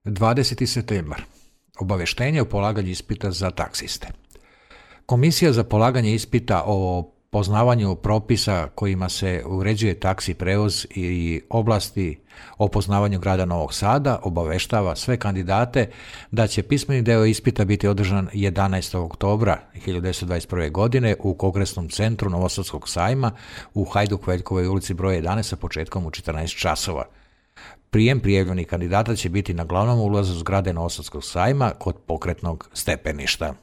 20. septembar. Obaveštenje o polaganju ispita za taksiste. Komisija za polaganje ispita o poznavanju propisa kojima se uređuje taksi prevoz i oblasti o poznavanju grada Novog Sada obaveštava sve kandidate da će pismeni deo ispita biti održan 11. oktobra 1921. godine u Kongresnom centru Novosadskog sajma u Hajduk-Veljkovoj ulici broj 11 sa početkom u 14 časova. Prijem prijavljenih kandidata će biti na glavnom ulazu zgrade Novosadskog sajma kod pokretnog stepeništa.